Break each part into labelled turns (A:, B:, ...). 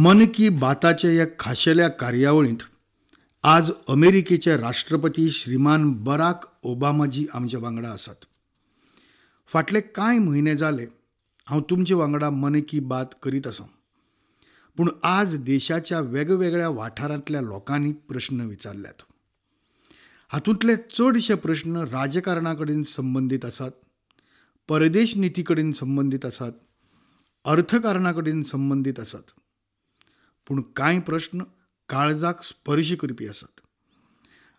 A: मन की बाताचे ह्या खाशेल्या कार्यावळींत आज अमेरिकेचे राष्ट्रपती श्रीमान बराक ओबामाजी आमच्या वांगडा आसात. फाटले कांय म्हयने जाले हांव तुमचे वांगडा मन की बात करीत आसा, पूण आज देशाच्या वेगवेगळ्या वाठारांतल्या लोकांनी प्रश्न विचारल्यात. हातूंतले चडशे प्रश्न राजकारणा कडेन संबंदीत आसात, परदेश निती कडेन संबंदीत आसात, अर्थकारणा कडेन संबंदीत आसात, पूण कांय प्रश्न काळजाक स्पर्श करपी आसात.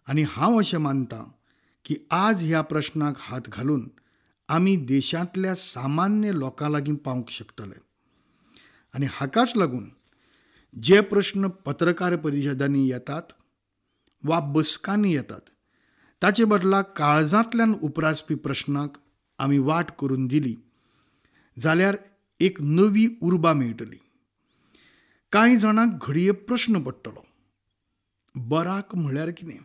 A: आनी हांव अशें मानता की आज ह्या प्रश्नाक हात घालून आमी देशांतल्या सामान्य लोकां लागीं पावंक शकतले. आनी हाकाच लागून जे प्रश्न पत्रकार परिशदांनी येतात वा बसकांनी येतात ताचे बदला काळजांतल्यान उप्रासपी प्रश्नाक आमी वाट करून दिली जाल्यार एक नवी उर्बा मेळटली. कांय जाणांक घडये प्रश्न पडटलो, बराक म्हळ्यार कितें?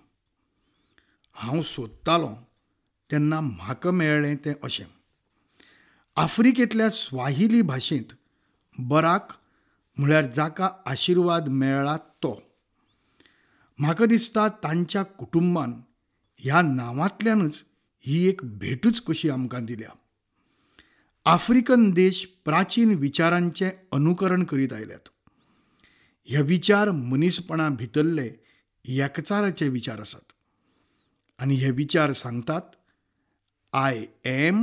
A: हांव सोदतालो तेन्ना म्हाका मेळ्ळें तें अशें, आफ्रिकेंतल्या स्वाहिली भाशेंत बराक म्हळ्यार जाका आशिर्वाद मेळ्ळा तो. म्हाका दिसता तांच्या कुटुंबान ह्या नांवांतल्यानच ही एक भेटूच कशी आमकां दिल्या. आफ्रिकन देश प्राचीन विचारांचें अनुकरण करीत आयल्यात. हे विचार मनीसपणा भितरले एकचाराचे विचार आसात आनी हे विचार सांगतात I am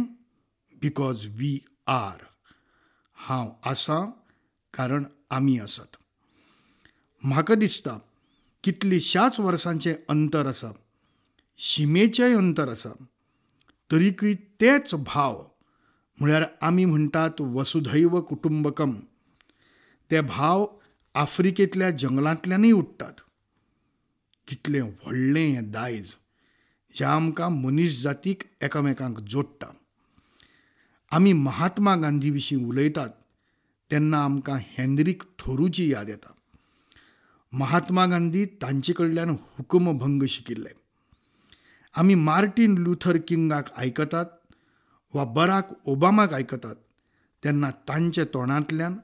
A: because we are. हांव आसां कारण आमी आसात. म्हाका दिसता कितलीशाच वर्सांचें अंतर आसा, शिमेचेंय अंतर आसा, तरीकय तेच भाव म्हळ्यार आमी म्हणटात वसुधैव कुटुंबकम, ते भाव आफ्रिकेंतल्या जंगलांतल्यानूय उठ्ठात. कितलें व्हडलें हें दायज जें आमकां मनीस जातीक एकामेकांक जोडटा. आमी महात्मा गांधी विशीं उलयतात तेन्ना आमकां हेनरीक थोरूची याद येता. महात्मा गांधी तांचे कडल्यान हुकुमभंग शिकिल्ले. आमी मार्टीन लुथर किंगाक आयकतात वा बराक ओबामाक आयकतात तेन्ना तांच्या तोंडांतल्यान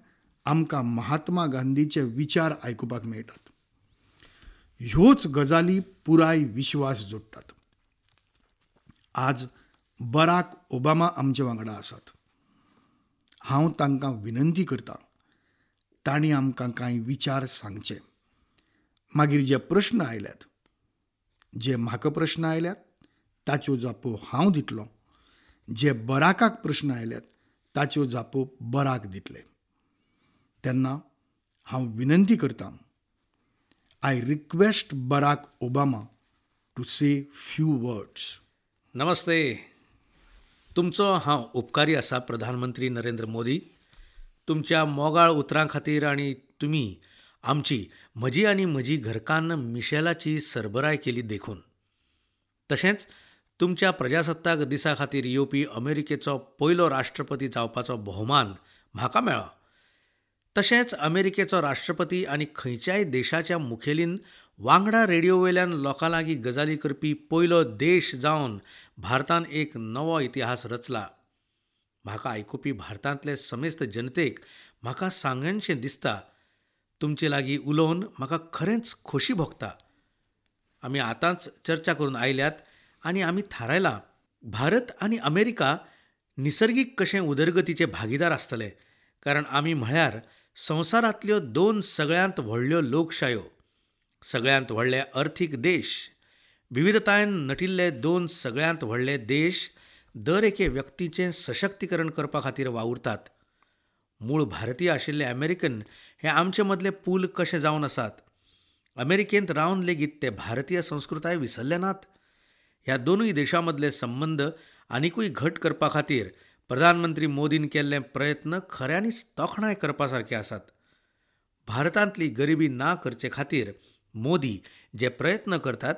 A: आमकां महात्मा गांधीचे विचार आयकुपाक मेळटात. ह्योच गजाली पुराय विश्वास जोडटात. आज बराक ओबामा आमचे वांगडा आसात. हांव तांकां विनंती करतां तांणी आमकां कांय विचार सांगचे. मागीर जे प्रश्न आयल्यात, जे म्हाका प्रश्न आयल्यात ताच्यो जापो हांव दितलो, जे बराकाक प्रश्न आयल्यात ताच्यो जापो बराक दितले. तेन्ना हांव विनंती करतां, I request Barack Obama to say few words.
B: नमस्ते. तुमचो हांव उपकारी आसा प्रधानमंत्री नरेंद्र मोदी, तुमच्या मोगाळ उतरां खातीर आनी तुमी आमची, म्हजी आनी म्हजी घरकान्न मिशेलाची सरबराय केली देखून. तशेंच तुमच्या प्रजासत्ताक दिसा खातीर येवपी अमेरिकेचो पयलो राष्ट्रपती जावपाचो भोवमान म्हाका मेळ्ळो. तशेंच अमेरिकेचो राष्ट्रपती आनी खंयच्याय देशाच्या मुखेलीन वांगडा रेडियो वयल्यान लोकां लागीं गजाली करपी पयलो देश जावन भारतान एक नवो इतिहास रचला. म्हाका आयकुपी भारतांतले समेस्त जनतेक म्हाका सांगनशें दिसता, तुमचे लागीं उलोवन म्हाका खरेंच खोशी भोगता. आमी आतांच चर्चा करून आयल्यात आनी आमी थारायलां भारत आनी अमेरिका निसर्गीक कशें उदरगतीचे भागीदार आसतले, कारण आमी म्हळ्यार संवसारांतल्यो दोन सगळ्यांत व्हडल्यो लोकशायो, सगळ्यांत व्हडले अर्थीक देश, विविधतायेन नटिल्ले दोन सगळ्यांत व्हडले देश दर एके व्यक्तीचें सशक्तीकरण करपा खातीर वावुरतात. मूळ भारतीय आशिल्ले अमेरिकन हे आमचे मदले पूल कशे जावन आसात. अमेरिकेंत रावन लेगीत ते भारतीय संस्कृताय विसरले नात. ह्या दोनूय देशां मदले संबंद आनिकूय घट करपा खातीर प्रधानमंत्री मोदीन केल्ले प्रयत्न खऱ्यांनीच तोखणाय करपा सारके आसात. भारतांतली गरिबी ना करचे खातीर मोदी जे प्रयत्न करतात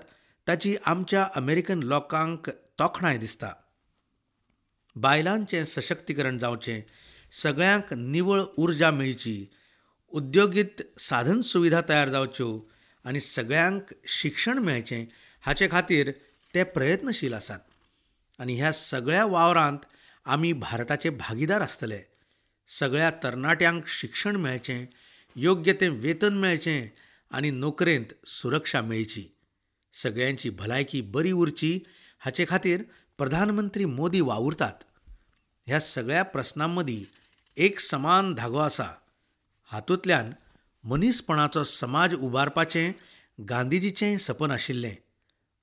B: ताची आमच्या अमेरिकन लोकांक तोखणाय दिसता. बायलांचें सशक्तीकरण जावचें, सगळ्यांक निवळ उर्जा मेळची, उद्योगीत साधन सुविधा तयार जावच्यो आनी सगळ्यांक शिक्षण मेळचें हाचे खातीर ते प्रयत्नशील आसात. आनी ह्या सगळ्या वावरांत आमी भारताचे भागीदार आसतले. सगळ्या तरणाट्यांक शिक्षण मेळचें, योग्य तें वेतन मेळचें आनी नोकरेंत सुरक्षा मेळची, सगळ्यांची भलायकी बरी उरची हाचे खातीर प्रधानमंत्री मोदी वावुरतात. ह्या सगळ्या प्रस्नां मदीं एक समान धागो आसा. हातूंतल्यान मनीसपणाचो समाज उबारपाचें गांधीजीचें सपन आशिल्लें.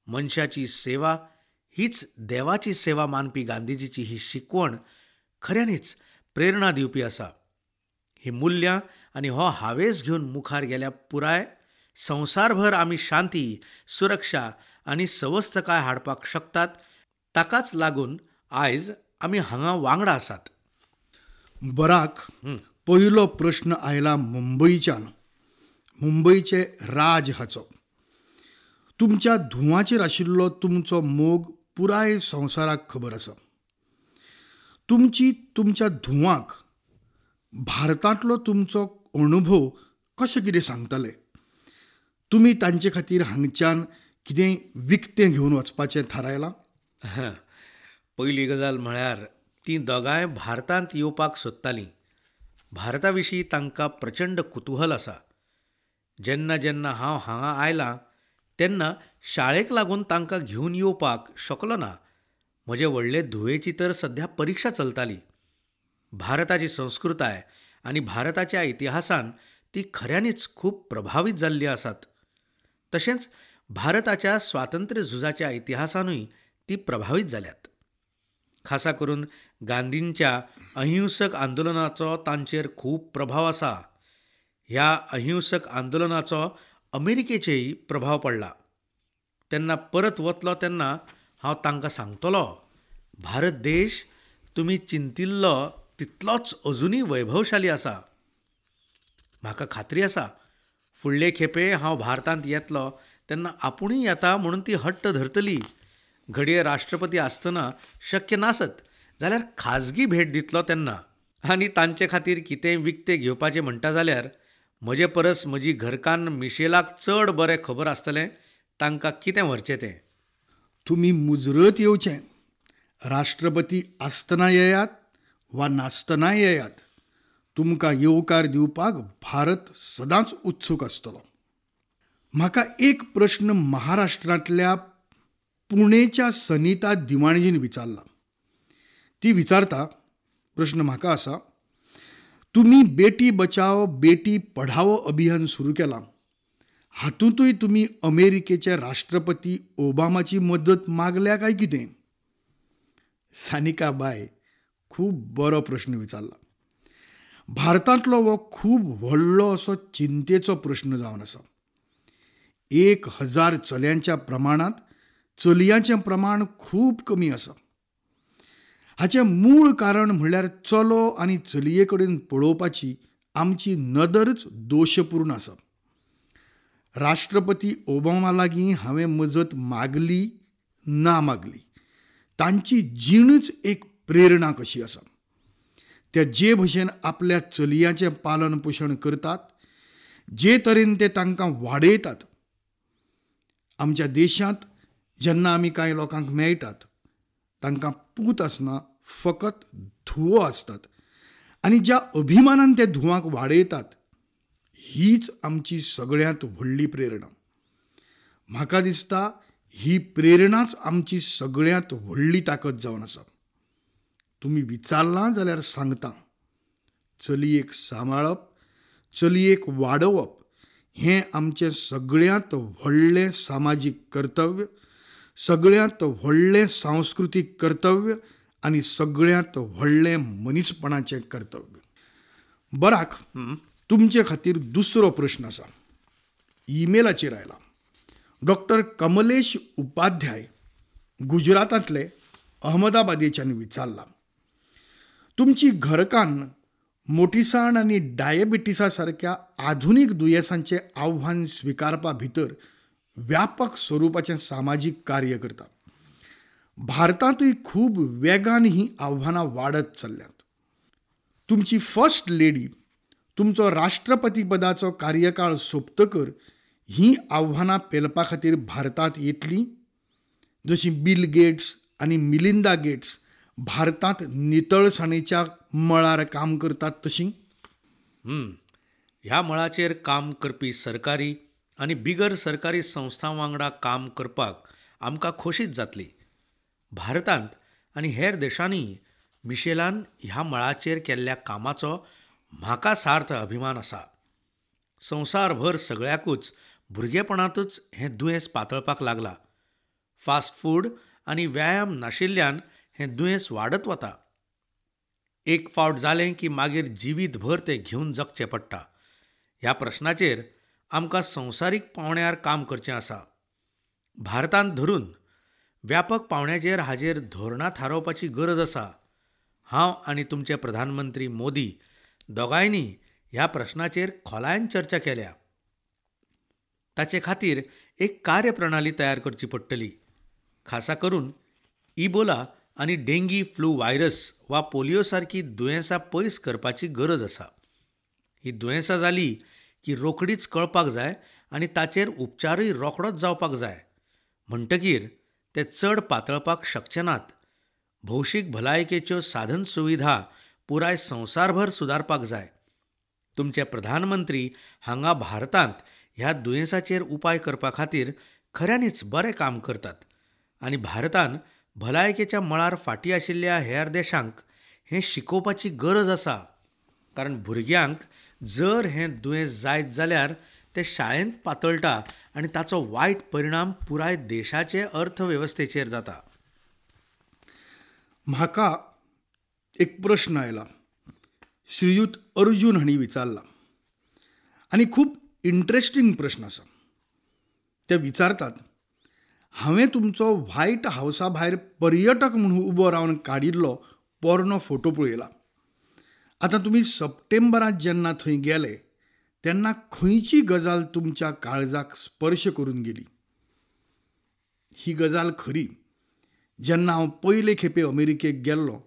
B: मनशाची सेवा हीच देवाची सेवा मानपी गांधीजीची ही शिकवण खऱ्यांनीच प्रेरणा दिवपी आसा. ही मुल्यां आनी हो हावेस घेवन मुखार गेल्या पुराय संवसारभर आमी शांती, सुरक्षा आनी सवस्तकाय हाडपाक शकतात. ताकाच लागून आयज आमी हांगा वांगडा आसात.
A: बराक, पयलो प्रश्न आयला मुंबयच्यान, मुंबयचे राज हाचो. तुमच्या धुवाचेर आशिल्लो तुमचो मोग पुराय संवसाराक खबर आसा. तुमची तुमच्या धुवांक भारतांतलो तुमचो अणभव कशें कितें सांगतले? तुमी तांचे खातीर हांगच्यान कितें विकतें घेवन वचपाचें थारायलां?
B: पयली गजाल म्हळ्यार तीं दोगांय भारतांत येवपाक सोदतालीं. भारता विशीं तांकां प्रचंड कुतूहल आसा. जेन्ना जेन्ना हांव हांगा आयलां तेन्ना शाळेक लागून तांकां घेवन येवपाक शकलो ना. म्हजे व्हडले धुवेची तर सध्या परिक्षा चलताली. भारताची संस्कृताय आनी भारताच्या इतिहासान ती खऱ्यांनीच खूब प्रभावीत जाल्ली आसात. तशेंच भारताच्या स्वातंत्र्य झुजाच्या इतिहासानूय ती प्रभावीत जाल्यात. खासा करून गांधींच्या अहिंसक आंदोलनाचो तांचेर खूब प्रभाव आसा. ह्या अहिंसक आंदोलनाचो अमेरिकेचेय प्रभाव पडला. तेन्ना परत वतलो तेन्ना हांव तांकां सांगतलो, भारत देश तुमी चिंतिल्लो तितलोच अजुनूय वैभवशाली आसा. म्हाका खात्री आसा फुडले खेपे हांव भारतांत येतलो तेन्ना आपुणूय येता म्हणून ती हट्ट धरतली. घडये राष्ट्रपती आसतना शक्य नासत जाल्यार खाजगी भेट दितलो तेन्ना. आनी तांचे खातीर कितेंय विकतें घेवपाचें म्हणटा जाल्यार म्हजे परस म्हजी घरकान्न मिशेलाक चड बरें खबर आसतलें तांकां कितें व्हरचें तें.
A: तुमी मुजरत येवचें. राष्ट्रपती आसतना येयात वा नासतना येयात, तुमकां येवकार दिवपाक भारत सदांच उत्सूक आसतलो. म्हाका एक प्रश्न महाराष्ट्रांतल्या पुणेच्या सनिता दिवाणजीन विचारला. ती विचारता, प्रश्न म्हाका आसा, तुमी बेटी बचाओ बेटी पढाओ अभियान सुरू केलां, हातूंतूय तुमी अमेरिकेचे राष्ट्रपती ओबामाची मदत मागल्या काय कितें? सानिका बाय, खूब बरो प्रश्न विचारला. भारतांतलो हो खूब व्हडलो असो चिंतेचो प्रश्न जावन आसा. 1000 चल्यांच्या प्रमाणांत चलयांचें प्रमाण खूब कमी आसा. हाचें मूळ कारण म्हणल्यार चलो आनी चलये कडेन पळोवपाची आमची नदरच दोशपूर्ण आसा. राष्ट्रपती ओबामा लागीं हांवें मजत मागली ना मागली, तांची जीणच एक प्रेरणा कशी आसा. ते जे भशेन आपल्या चलयांचें पालन पोशण करतात, जे तरेन ते तांकां वाडयतात, आमच्या देशांत जेन्ना आमी कांय लोकांक मेळटात तांकां पूत आसना, फकत धुवो आसतात आनी ज्या अभिमानान ते धुवांक वाडयतात हीच आमची सगळ्यांत व्हडली प्रेरणा. म्हाका दिसता ही प्रेरणाच आमची सगळ्यांत व्हडली ताकद जावन आसा. तुमी विचारलां जाल्यार सांगता, चलयेक सांबाळप, चलयेक वाडोवप हें आमचें सगळ्यांत व्हडलें सामाजीक कर्तव्य, सगळ्यांत व्हडलें सांस्कृतीक कर्तव्य आनी सगळ्यांत व्हडलें मनीसपणाचें कर्तव्य. बराक, तुमचे खातीर दुसरो प्रश्न आसा. ईमेलाचेर आयला. डॉक्टर कमलेश उपाध्याय गुजरातांतले अहमदाबादेच्यान विचारला, तुमची घरकान्न मोटीसाण आनी डायबिटीसा सारक्या आधुनीक दुयेंसांचें आव्हान स्विकारपा भितर व्यापक स्वरुपाचें सामाजीक कार्य करता. भारतांतूय खूब वेगान हीं आव्हानां वाडत चल्ल्यांत. तुमची फर्स्ट लेडी तुमचो राष्ट्रपतीपदाचो कार्यकाळ सोंपतकर हीं आव्हानां पेलपा खातीर भारतांत येतलीं, जशीं बिल गेट्स आनी मिलिंदा गेट्स भारतांत नितळसाणेच्या मळार काम करतात तशीं?
B: ह्या मळाचेर काम करपी सरकारी आनी बिगर सरकारी संस्थां वांगडा काम करपाक आमकां खोशीच जातली. भारतांत आनी हेर देशांनीय मिशेलान ह्या मळाचेर केल्ल्या कामाचो म्हाका सार्थ अभिमान आसा. संवसारभर सगळ्याकूच भुरगेपणांतूच हें दुयेंस पातळपाक लागलां. फास्ट फूड आनी व्यायाम नाशिल्ल्यान हें दुयेंस वाडत वता. एक फावट जालें की मागीर जिवीतभर तें घेवन जगचें पडटा. ह्या प्रस्नाचेर आमकां संवसारीक पांवड्यार काम करचें आसा. भारतांत धरून व्यापक पांवड्याचेर हाजेर धोरणां थारावपाची गरज आसा. हांव आनी तुमचे प्रधानमंत्री मोदी दोगांयनी ह्या प्रस्नाचेर खोलायेन चर्चा केल्या. ताचे खातीर एक कार्यप्रणाली तयार करची पडटली. खासा करून इबोला आनी डेंगी फ्लू व्हायरस वा पोलियो सारकी दुयेंसां पयस करपाची गरज आसा. ही दुयेंसां जाली की रोखडीच कळपाक जाय आनी ताचेर उपचारूय रोखडोच जावपाक जाय. म्हणटकीर ते चड पातळपाक शकचे नात. भौशीक भलायकेच्यो साधन सुविधा पुराय संवसारभर सुदारपाक जाय. तुमचे प्रधानमंत्री हांगा भारतांत ह्या दुयेंसाचेर उपाय करपा खातीर खऱ्यांनीच बरें काम करतात आनी भारतान भलायकेच्या मळार फाटीं आशिल्ल्या हेर देशांक हें शिकोवपाची गरज आसा. कारण भुरग्यांक जर हें दुयेंस जायत जाल्यार तें शाळेंत पातळटा आनी ताचो वायट परिणाम पुराय देशाचे अर्थवेवस्थेचेर जाता.
A: म्हाका एक प्रश्न आयला, श्रीयुत अर्जुन हांणी विचारला आनी खूब इंट्रस्टींग प्रश्न आसा. ते विचारतात, हांवें तुमचो व्हायट हावसा भायर पर्यटक म्हणून उबो रावन काडिल्लो पोरणो फोटो पळयला. आतां तुमी सप्टेंबरांत जेन्ना थंय गेले तेन्ना खंयची गजाल तुमच्या काळजाक स्पर्श करून गेली? ही गजाल खरी. जेन्ना हांव पयले खेपे अमेरिकेक गेल्लो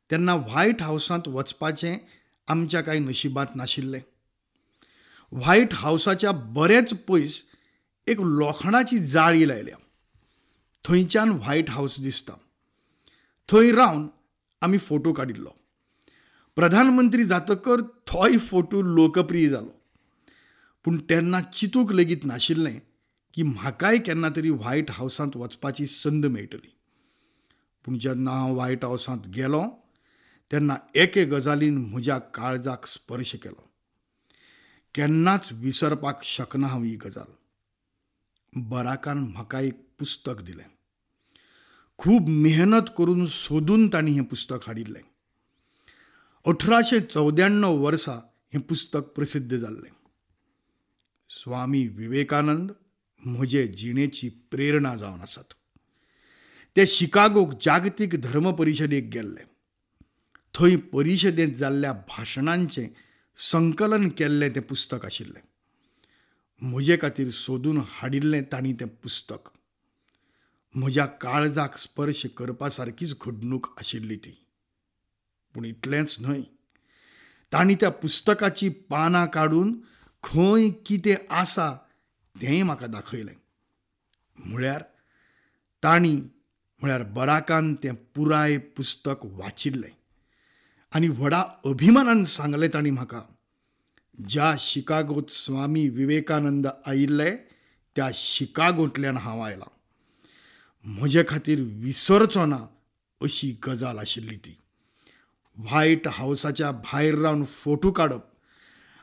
A: तेन्ना व्हायट हावसांत वचपाचें आमच्या कांय नशिबांत नाशिल्लें. व्हायट हावसाच्या बरेच पयस एक लोखणाची जाळी लायल्या, थंयच्यान व्हायट हावस दिसता. थंय रावन आमी फोटो काडिल्लो. प्रधानमंत्री जातकर थोय फोटो लोकप्रिय जालो. पूण तेन्ना चिंतूंक लेगीत नाशिल्लें की म्हाकाय केन्ना तरी व्हायट हावसांत वचपाची संद मेळटली. पूण जेन्ना हांव व्हायट हावसांत गेलो तेन्ना एके गजालीन म्हज्या काळजाक स्पर्श केलो. केन्नाच विसरपाक शकना हांव ही गजाल. बराकान म्हाका एक पुस्तक दिलें. खूब मेहनत करून सोदून तांणी हें पुस्तक हाडिल्लें. 1894 वर्सा हें पुस्तक प्रसिद्ध जाल्लें. स्वामी विवेकानंद म्हजे जिणेची प्रेरणा जावन आसात. ते शिकागोक जागतीक धर्म परिशदेक गेल्ले. थंय परिशदेंत जाल्ल्या भाशणांचें संकलन केल्लें तें पुस्तक आशिल्लें. म्हजे खातीर सोदून हाडिल्लें तांणी तें पुस्तक. म्हज्या काळजाक स्पर्श करपा सारकीच घडणूक आशिल्ली ती. पूण इतलेंच न्हय, तांणी त्या पुस्तकाची पानां काडून खंय कितें आसा तेंय म्हाका दाखयलें. म्हळ्यार तांणी म्हळ्यार बराकान तें पुराय पुस्तक वाचिल्लें आनी व्हडा अभिमानान सांगलें तांणी म्हाका, ज्या शिकागोंत स्वामी विवेकानंद आयिल्ले त्या शिकागोंतल्यान हांव आयलां. म्हजे खातीर विसरचो ना अशी गजाल आशिल्ली ती. व्हायट हावसाच्या भायर रावन फोटो काडप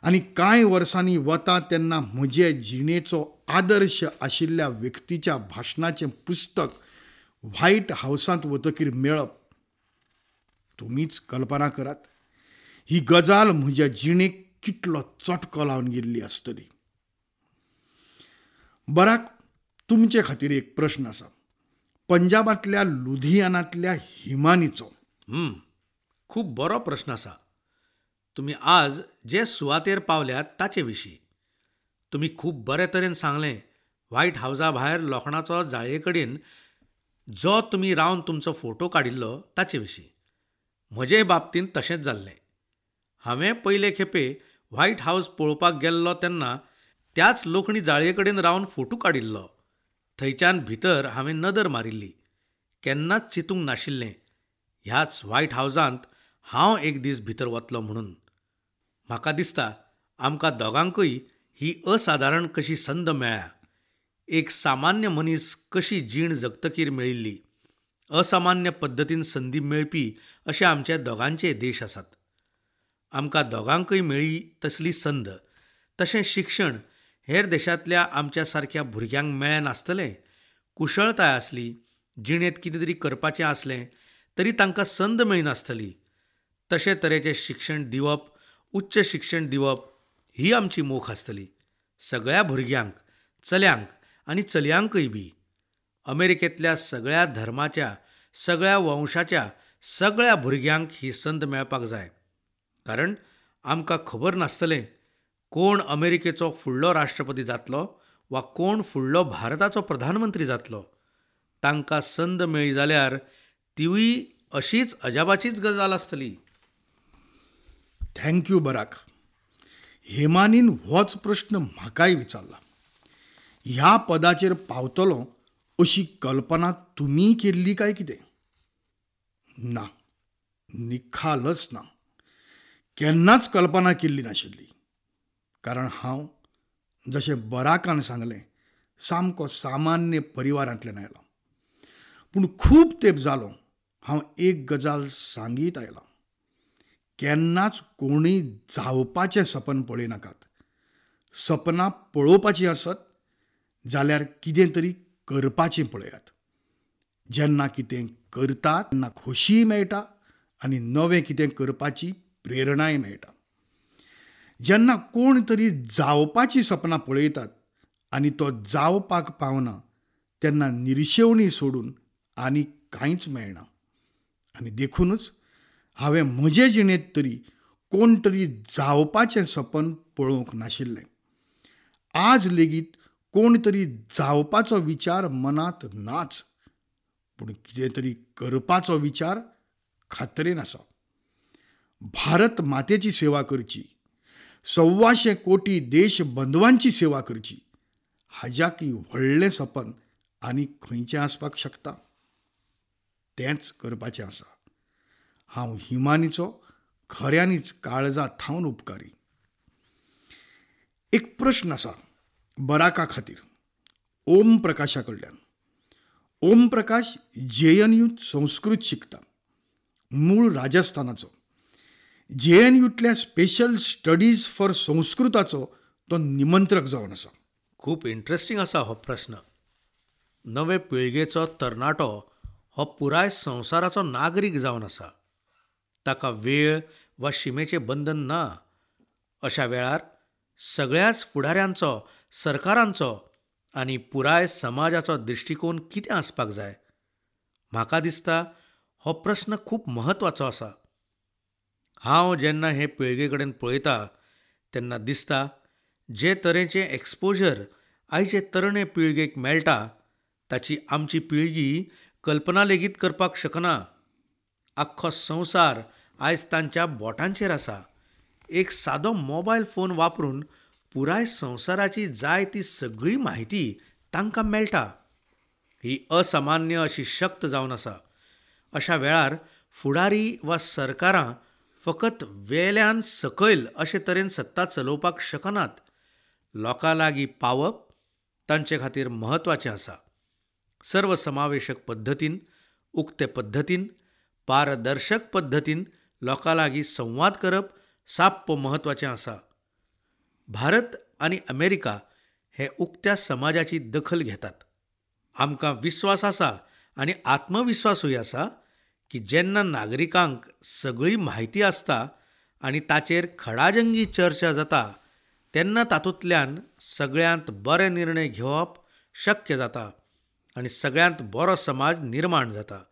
A: आनी कांय वर्सांनी वता तेन्ना म्हजे जिणेचो आदर्श आशिल्ल्या व्यक्तीच्या भाशणाचें पुस्तक व्हायट हावसांत वतकीर मेळप, तुमीच कल्पना करात ही गजाल म्हज्या जिणेक कितलो चटको लावन गेल्ली आसतली. बराक, तुमचे खातीर एक प्रश्न आसा, पंजाबांतल्या लुधियानांतल्या हिमानीचो.
B: खूब बरो प्रश्न आसा. तुमी आज जे सुवातेर पावल्यात ताचे विशीं तुमी खूब बरे तरेन सांगलें. व्हायट हावसा भायर लोखणाचो जाळये कडेन जो तुमी रावन तुमचो फोटो काडिल्लो ताचे विशीं. म्हजे बाबतींत तशेंच जाल्लें. हांवें पयले खेपे व्हायट हावस पळोवपाक गेल्लो तेन्ना त्याच लोखणी जाळये कडेन रावन फोटो काडिल्लो. थंयच्यान भितर हांवें नदर मारिल्ली. केन्नाच चिंतूंक नाशिल्लें ह्याच व्हायट हावसांत हांव एक दीस भितर वतलो म्हणून. म्हाका दिसता आमकां दोगांकूय ही असादारण कशी संद मेळ्ळ्या. एक सामान्य मनीस कशी जीण जगतकीर मेळिल्ली असामान्य पद्दतीन संदी मेळपी अशे आमचे दोगांचे देश आसात. आमकां दोगांकूय मेळ्ळी तसली संद, तशें शिक्षण हेर देशांतल्या आमच्या सारक्या भुरग्यांक मेळ्ळें नासतलें. कुशळताय आसली, जिणेंत कितें तरी करपाचें आसलें तरी तांकां संद मेळनासतली. तशे तरेचें शिक्षण दिवप, उच्च शिक्षण दिवप ही आमची मोख आसतली. सगळ्या भुरग्यांक, चल्यांक आनी चलयांकूय बी. अमेरिकेंतल्या सगळ्या धर्माच्या, सगळ्या वंशाच्या सगळ्या भुरग्यांक ही संद मेळपाक जाय. कारण आमकां खबर नासतलें कोण अमेरिकेचो फुडलो राष्ट्रपती जातलो वा कोण फुडलो भारताचो प्रधानमंत्री जातलो. तांकां संद मेळ्ळी जाल्यार तिवूय अशीच अजापाचीच गजाल आसतली.
A: Thank you Barack. हेमानीन होच प्रश्न म्हाकाय विचारला. ह्या पदाचेर पावतलो अशी कल्पना तुमी केल्ली काय कितें? ना, निखालच ना. केन्नाच कल्पना केल्ली नाशिल्ली. कारण हांव जशें बराकान सांगलें सामको सामान्य परिवारांतल्यान आयला. पूण खूब तेंप जालो हांव एक गजाल सांगीत आयलां, केन्नाच कोणूय जावपाचें सपन पळयनाकात. सपनां पळोवपाचीं आसत जाल्यार कितें तरी करपाचें पळयात. जेन्ना कितें करतात तेन्ना खोशीय मेळटा आनी नवें कितें करपाची प्रेरणाय मेळटा. जेन्ना कोण तरी जावपाचीं सपनां पळयतात आनी तो जावपाक पावना तेन्ना निर्शेवणी सोडून आनी कांयच मेळना. आनी देखूनच हांवें म्हजे जिणेंत तरी कोण तरी जावपाचें सपन पळोवंक नाशिल्लें. आज लेगीत कोण तरी जावपाचो विचार मनांत नाच, पूण कितें तरी करपाचो विचार खात्रेन आसा. भारत मातेची सेवा करची, 125 कोटी देश बंधवांची सेवा करची, हाज्याकय व्हडलें सपन आनी खंयचें आसपाक शकता? तेंच करपाचें आसा. हांव हिमानीचो खऱ्यांनीच काळजा थावन उपकारी. एक प्रश्न आसा बराका खातीर ओम प्रकाशा कडल्यान. ओम प्रकाश जेएनयूत संस्कृत शिकता, मूळ राजस्थानाचो. जेएनयूतल्या स्पेशल स्टडीज फॉर संस्कृताचो तो निमंत्रक जावन आसा.
B: खूब इंट्रस्टींग आसा हो प्रस्न. नवे पिळगेचो तरणाटो हो पुराय संवसाराचो नागरीक जावन आसा. ताका वेळ वा शिमेचें बंधन ना. अशा वेळार सगळ्याच फुडाऱ्यांचो, सरकारांचो आनी पुराय समाजाचो दृश्टिकोन कितें आसपाक जाय? म्हाका दिसता हो प्रस्न खूब म्हत्वाचो आसा. हांव जेन्ना हे पिळगे कडेन पळयता तेन्ना दिसता जे तरेचें एक्सपोजर आयचे तरणे पिळगेक मेळटा ताची आमची पिळगी कल्पना लेगीत करपाक शकना. आख्खो संवसार आयज तांच्या बोटांचेर आसा. एक सादो मोबायल फोन वापरून पुराय संवसाराची जाय ती सगळी म्हायती तांकां मेळटा. ही असामान्य अशी शक्त जावन आसा. अशा वेळार फुडारी वा सरकारां फकत वेल्यान सकयल अशे तरेन सत्ता चलोवपाक शकनात. लोकां लागीं पावप तांचे खातीर म्हत्वाचें आसा. सर्वसमावेशक पद्दतीन, उक्ते पद्दतीन, पारदर्शक पद्दतीन लोकां लागीं संवाद करप साप्प म्हत्वाचें आसा. भारत आनी अमेरिका हे उक्त्या समाजाची दखल घेतात. आमकां विस्वास आसा आनी आत्मविस्वासूय आसा की जेन्ना नागरिकांक सगळी म्हायती आसता आनी ताचेर खडाजंगी चर्चा जाता तेन्ना तातूंतल्यान सगळ्यांत बरे निर्णय घेवप शक्य जाता आनी सगळ्यांत बरो समाज निर्माण जाता.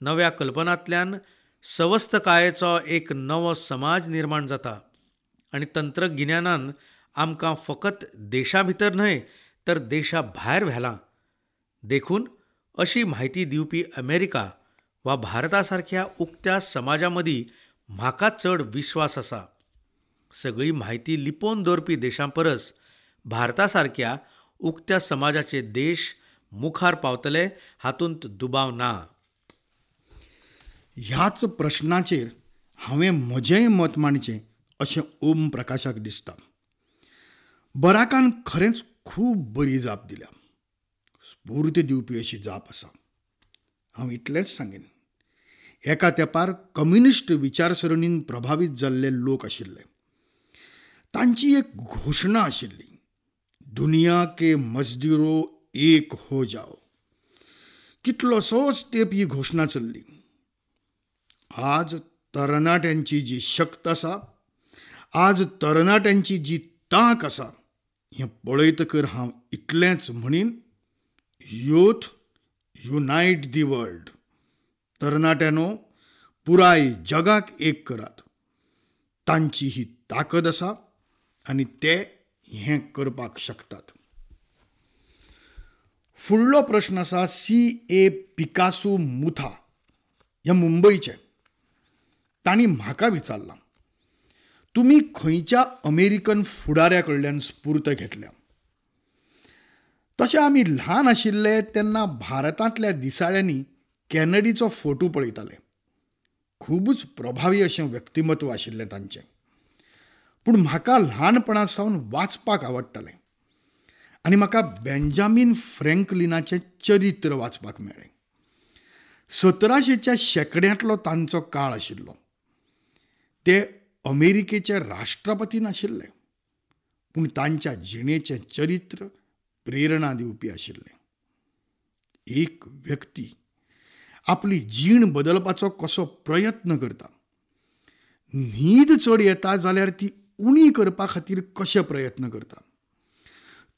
B: नव्या कल्पनांतल्यान सवस्तकायेचो एक नवो समाज निर्माण जाता आनी तंत्रगिन्यानान आमकां फकत देशा भितर न्हय तर देशा भायर व्हेलां. देखून अशी म्हायती दिवपी अमेरिका वा भारता सारक्या उक्त्या समाजा मदीं म्हाका चड विश्वास आसा. सगळी म्हायती लिपोवन दवरपी देशां परस भारता सारक्या उक्त्या समाजाचे देश मुखार पावतले हातूंत दुबाव ना.
A: ह्याच प्रश्नाचेर हांवें म्हजेंय मत मांडचें अशें ओम प्रकाशाक दिसता. बराकान खरेंच खूब बरी जाप दिल्या, स्फूर्त दिवपी अशी जाप आसा. हांव इतलेंच सांगीन, एका तेंपार कम्युनिस्ट विचारसरणीन प्रभावीत जाल्ले लोक आशिल्ले. तांची एक घोशणा आशिल्ली, दुनिया के मजदूरो एक हो जाओ. कितलोसोच तेंप ही घोशणा चल्ली. आज तरणाट्यांची जी शक्त आसा, आज तरणाट्यांची जी तांक आसा, हें पळयतकर हांव इतलेंच म्हणीन, युथ युनायट the world. तरणाट्यांनो, पुराय जगाक एक करात. तांची ही ताकद आसा आनी ते हें करपाक शकतात. फुडलो प्रश्न आसा सी.ए. पिकासो मुथा हे मुंबयचे. तांणी म्हाका विचारलां, तुमी खंयच्या अमेरिकन फुडाऱ्या कडल्यान स्फूर्त घेतल्या? तशें आमी ल्हान आशिल्ले तेन्ना भारतांतल्या दिसाळ्यांनी कॅनडीचो फोटो पळयताले. खुबूच प्रभावी अशें व्यक्तिमत्व आशिल्लें तांचें. पूण म्हाका ल्हानपणा सावन वाचपाक आवडटालें आनी म्हाका बेंजामीन फ्रँकलिनाचें चरित्र वाचपाक मेळ्ळें. 1700च्या शेंकड्यांतलो तांचो काळ आशिल्लो. ते अमेरिकेचे राष्ट्रपती नाशिल्ले, पूण तांच्या जिणेचें चरित्र प्रेरणा दिवपी आशिल्लें. एक व्यक्ती आपली जीण बदलपाचो कसो प्रयत्न करता, न्हीद चड येता जाल्यार ती उणी करपा खातीर कशे प्रयत्न करता,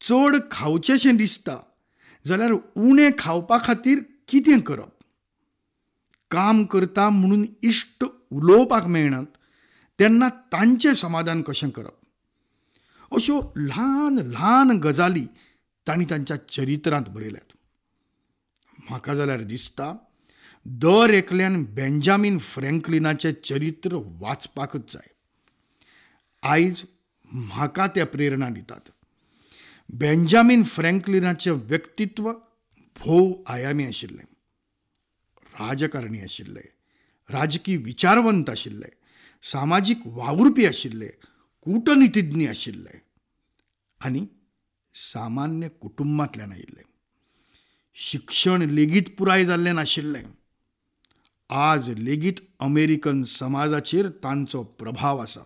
A: चड खावचेंशें दिसता जाल्यार उणें खावपा खातीर कितें करप, काम करता म्हणून इश्ट उलोवपाक मेळनात तेन्ना तांचें समाधान कशें करप, अश्यो ल्हान ल्हान गजाली तांणी तांच्या चरित्रांत बरयल्यात. म्हाका जाल्यार दिसता दर एकल्यान बेंजामीन फ्रँकलिनाचें चरित्र वाचपाकच जाय. आयज म्हाका ते प्रेरणा दितात. बेंजामीन फ्रँकलिनाचें व्यक्तित्व भोव आयामी आशिल्लें. राजकारणी आशिल्ले, राजकी विचारवंत आशिल्ले, सामाजीक वावुरपी आशिल्ले, कूटनितिज्ञ आशिल्ले आनी सामान्य कुटुंबांतल्यान आयिल्ले. शिक्षण लेगीत पुराय जाल्लें नाशिल्लें. आज लेगीत अमेरिकन समाजाचेर तांचो प्रभाव आसा.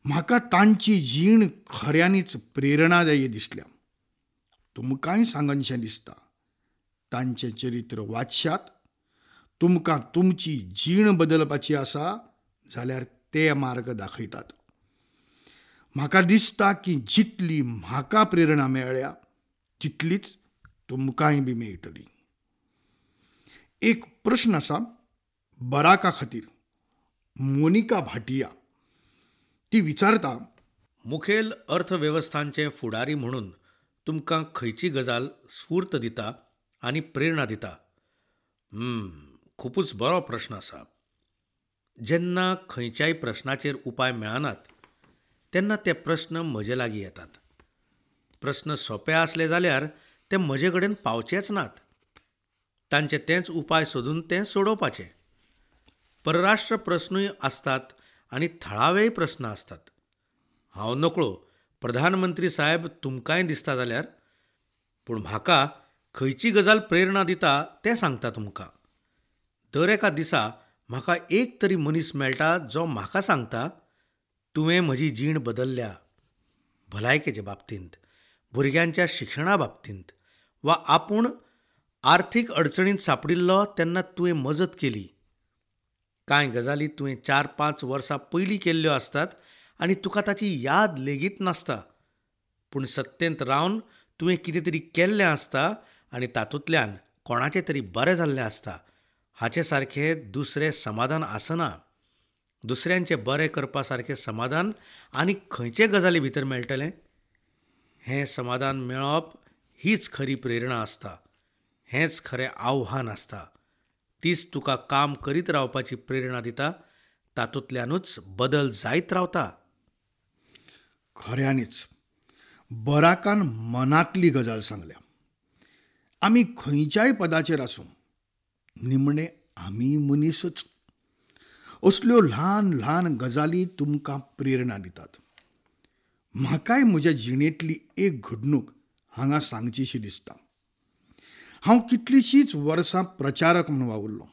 A: म्हाका तांची जीण खऱ्यांनीच प्रेरणादायी दिसल्या. तुमकांय सांगनशें दिसता, तांचें चरित्र वाचशात. तुमकां तुमची जीण बदलपाची आसा जाल्यार ते मार्ग दाखयतात. म्हाका दिसता की जितली म्हाका प्रेरणा मेळ्ळ्या तितलीच तुमकांय बी मेळटली. एक प्रश्न आसा बराका खातीर, मोनिका भाटिया. ती विचारता,
B: मुखेल अर्थवेवस्थांचे फुडारी म्हणून तुमकां खंयची गजाल स्फूर्त दिता आनी प्रेरणा दिता? खुबूच बरो प्रश्न आसा. जेन्ना खंयच्याय प्रश्नाचेर उपाय मेळनात तेन्ना ते प्रश्न म्हजे लागीं येतात. प्रश्न सोंपे आसले जाल्यार ते म्हजे कडेन पावचेच नात. तांचे तेंच उपाय सोदून ते सोडोवपाचे. परराष्ट्र प्रश्नूय आसतात आनी थळावेय प्रस्न आसतात. हांव नकळो प्रधानमंत्री साहेब तुमकांय दिसता जाल्यार, पूण म्हाका खंयची गजाल प्रेरणा दिता तें सांगता तुमकां. दर एका दिसा म्हाका एक तरी मनीस मेळटा जो म्हाका सांगता, तुवें म्हजी जीण बदलल्या, भलायकेचे बाबतींत, भुरग्यांच्या शिक्षणा बाबतींत, वा आपूण आर्थीक अडचणींत सांपडिल्लो तेन्ना तुवें मजत केली. कांय गजाली तुवें 4-5 वर्सां पयलीं केल्ल्यो आसतात आनी तुका ताची याद लेगीत नासता, पूण सत्तेंत रावन तुवें कितें तरी केल्लें आसता आनी तातूंतल्यान कोणाचें तरी बरें जाल्लें आसता. हाचे सारकें दुसरें समाधान आसना. दुसऱ्यांचें बरें करपा सारकें समाधान आनी खंयचे गजाली भितर मेळटलें? हें समाधान मेळप हीच खरी प्रेरणा आसता, हेंच खरें आव्हान आसता. तीच तुका काम करीत रावपाची प्रेरणा दिता. तातूंतल्यानूच बदल जायत रावता.
A: खऱ्यांनीच बराकान मनांतली गजाल सांगल्या. आमी खंयच्याय पदाचेर आसूं, निमणे आमी मनीसच. असल्यो ल्हान ल्हान गजाली तुमकां प्रेरणा दितात. म्हाकाय म्हज्या जिणेंतली एक घडणूक हांगा सांगचीशी दिसता. हांव कितलींशींच वर्सां प्रचारक म्हूण वावुरलो.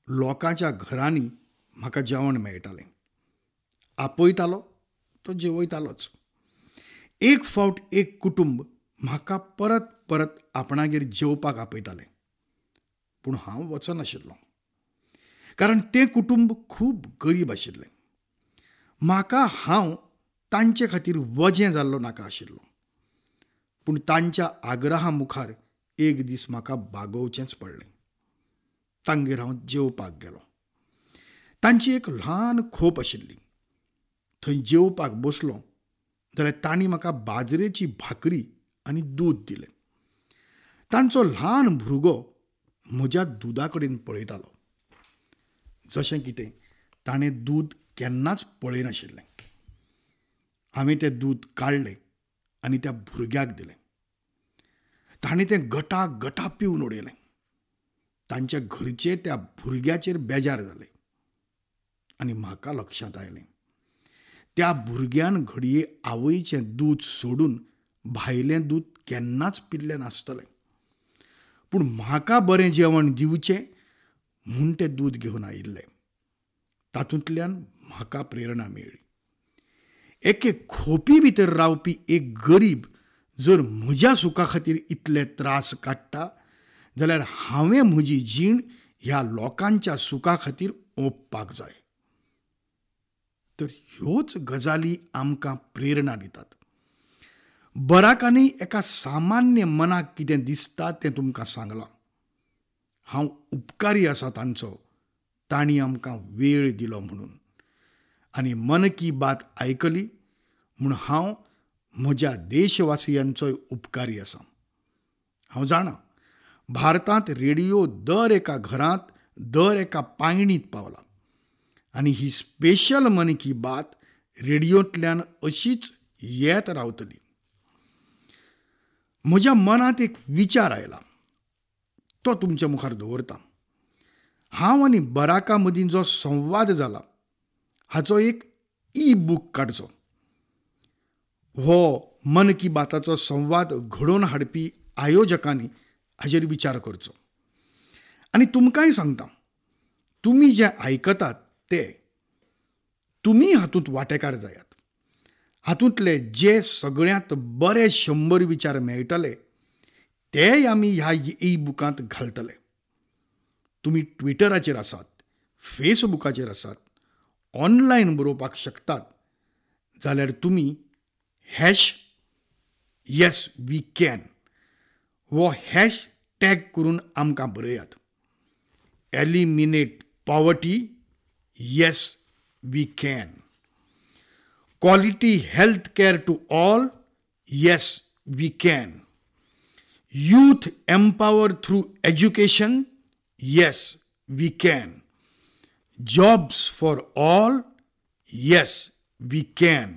A: लोकांच्या घरांनी म्हाका जेवण मेळटालें. आपयतालो तो जेवयतालोच. एक फावट एक कुटुंब म्हाका परत परत आपणागेर जेवपाक आपयतालें, पूण हांव वचनाशिल्लो, कारण तें कुटुंब खूब गरीब आशिल्लें. म्हाका हांव तांचे खातीर वजें जाल्लो नाका आशिल्लो. पूण तांच्या आग्रहा मुखार एक दीस म्हाका बागोवचेंच पडलें. तांगेर हांव जेवपाक गेलो. तांची एक ल्हान खोप आशिल्ली. थंय जेवपाक बसलो जाल्यार तांणी म्हाका बाजरेची भाकरी आनी दूद दिलें. तांचो ल्हान भुरगो म्हज्या दुदा कडेन पळयतालो, जशें कितें ताणें दूद केन्नाच पळयनाशिल्लें. हांवें तें दूद काडलें आनी त्या भुरग्याक दिलें. ताणें तें गटा गटा पिवन उडयलें. तांच्या घरचे त्या भुरग्याचेर बेजार जाले आनी म्हाका लक्षांत आयलें, त्या भुरग्यान घडये आवयचें दूद सोडून भायलें दूद केन्नाच पिल्लें नासतलें, पूण म्हाका बरें जेवण दिवचें म्हूण तें दूद घेवन आयिल्लें. तातूंतल्यान म्हाका प्रेरणा मेळ्ळी. एके खोपी भितर रावपी एक गरीब जर म्हज्या सुखा खातीर इतले त्रास काडटा जाल्यार हांवें म्हजी जीण ह्या लोकांच्या सुखा खातीर ओंपपाक जाय. तर ह्योच गजाली आमकां प्रेरणा दितात. बराकांनी एका सामान्य मनाक कितें दिसता तें तुमकां सांगलां. हांव उपकारी आसा तांचो, तांणी आमकां वेळ दिलो म्हणून. आनी मन की बात आयकली म्हूण हांव म्हज्या देशवासियांचोय उपकारी आसा. हांव जाणा भारतांत रेडियो दर एका घरांत, दर एका पायणींत पावला आनी ही स्पेशल मन की बात रेडियोंतल्यान अशीच येत रावतली. म्हज्या मनांत एक विचार आयला, तो तुमच्या मुखार दवरता. हांव आनी बराका मदीं जो संवाद जाला हाचो एक ई बूक काडचो. हो मन की बाताचो संवाद घडोवन हाडपी आयोजकांनी हाजेर विचार करचो. आनी तुमकांय सांगता, तुमी जें आयकतात ते तुमी हातूंत वांटेकार जायात. हातूंतले जे सगळ्यांत बरे 100 विचार मेळटले तेय आमी ह्या ई बुकांत घालतले. तुमी ट्विटराचेर आसात, फेसबुकाचेर आसात, ऑनलायन बरोवपाक शकतात जाल्यार तुमी #YesWeCan हो हॅश टॅग करून आमकां बरयात. Eliminate poverty, yes we can. Quality health care to all, yes we can. Youth empower through education, yes we can. Jobs for all, yes we can.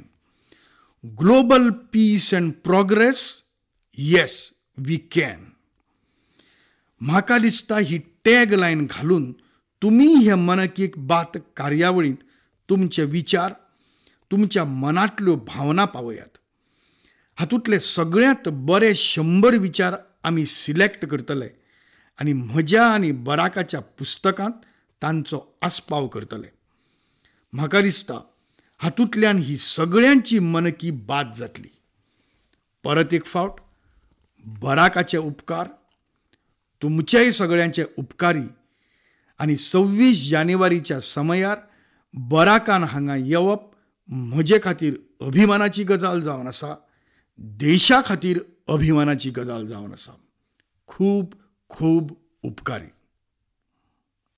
A: Global peace and progress, yes we can. म्हाका दिसता ही tag line घालून तुमी हे मन की बात कार्यावळींत तुमचे विचार, तुमच्या मनांतल्यो भावना पावयात. हातूंतले सगळ्यांत बरे 100 विचार आमी सिलेक्ट करतले आनी म्हज्या आनी बराकाच्या पुस्तकांत तांचो आस्पाव करतले. म्हाका दिसता हातूंतल्यान ही सगळ्यांची मन की बात जातली. परत एक फावट बराकाचे उपकार, तुमचेय सगळ्यांचे उपकारी. आनी 26 जानेवारीच्या समयार बराकान हांगा येवप म्हजे खातीर अभिमानाची गजाल जावन आसा, देशा खातीर अभिमानाची गजाल जावन आसा. खूब खूब उपकारी.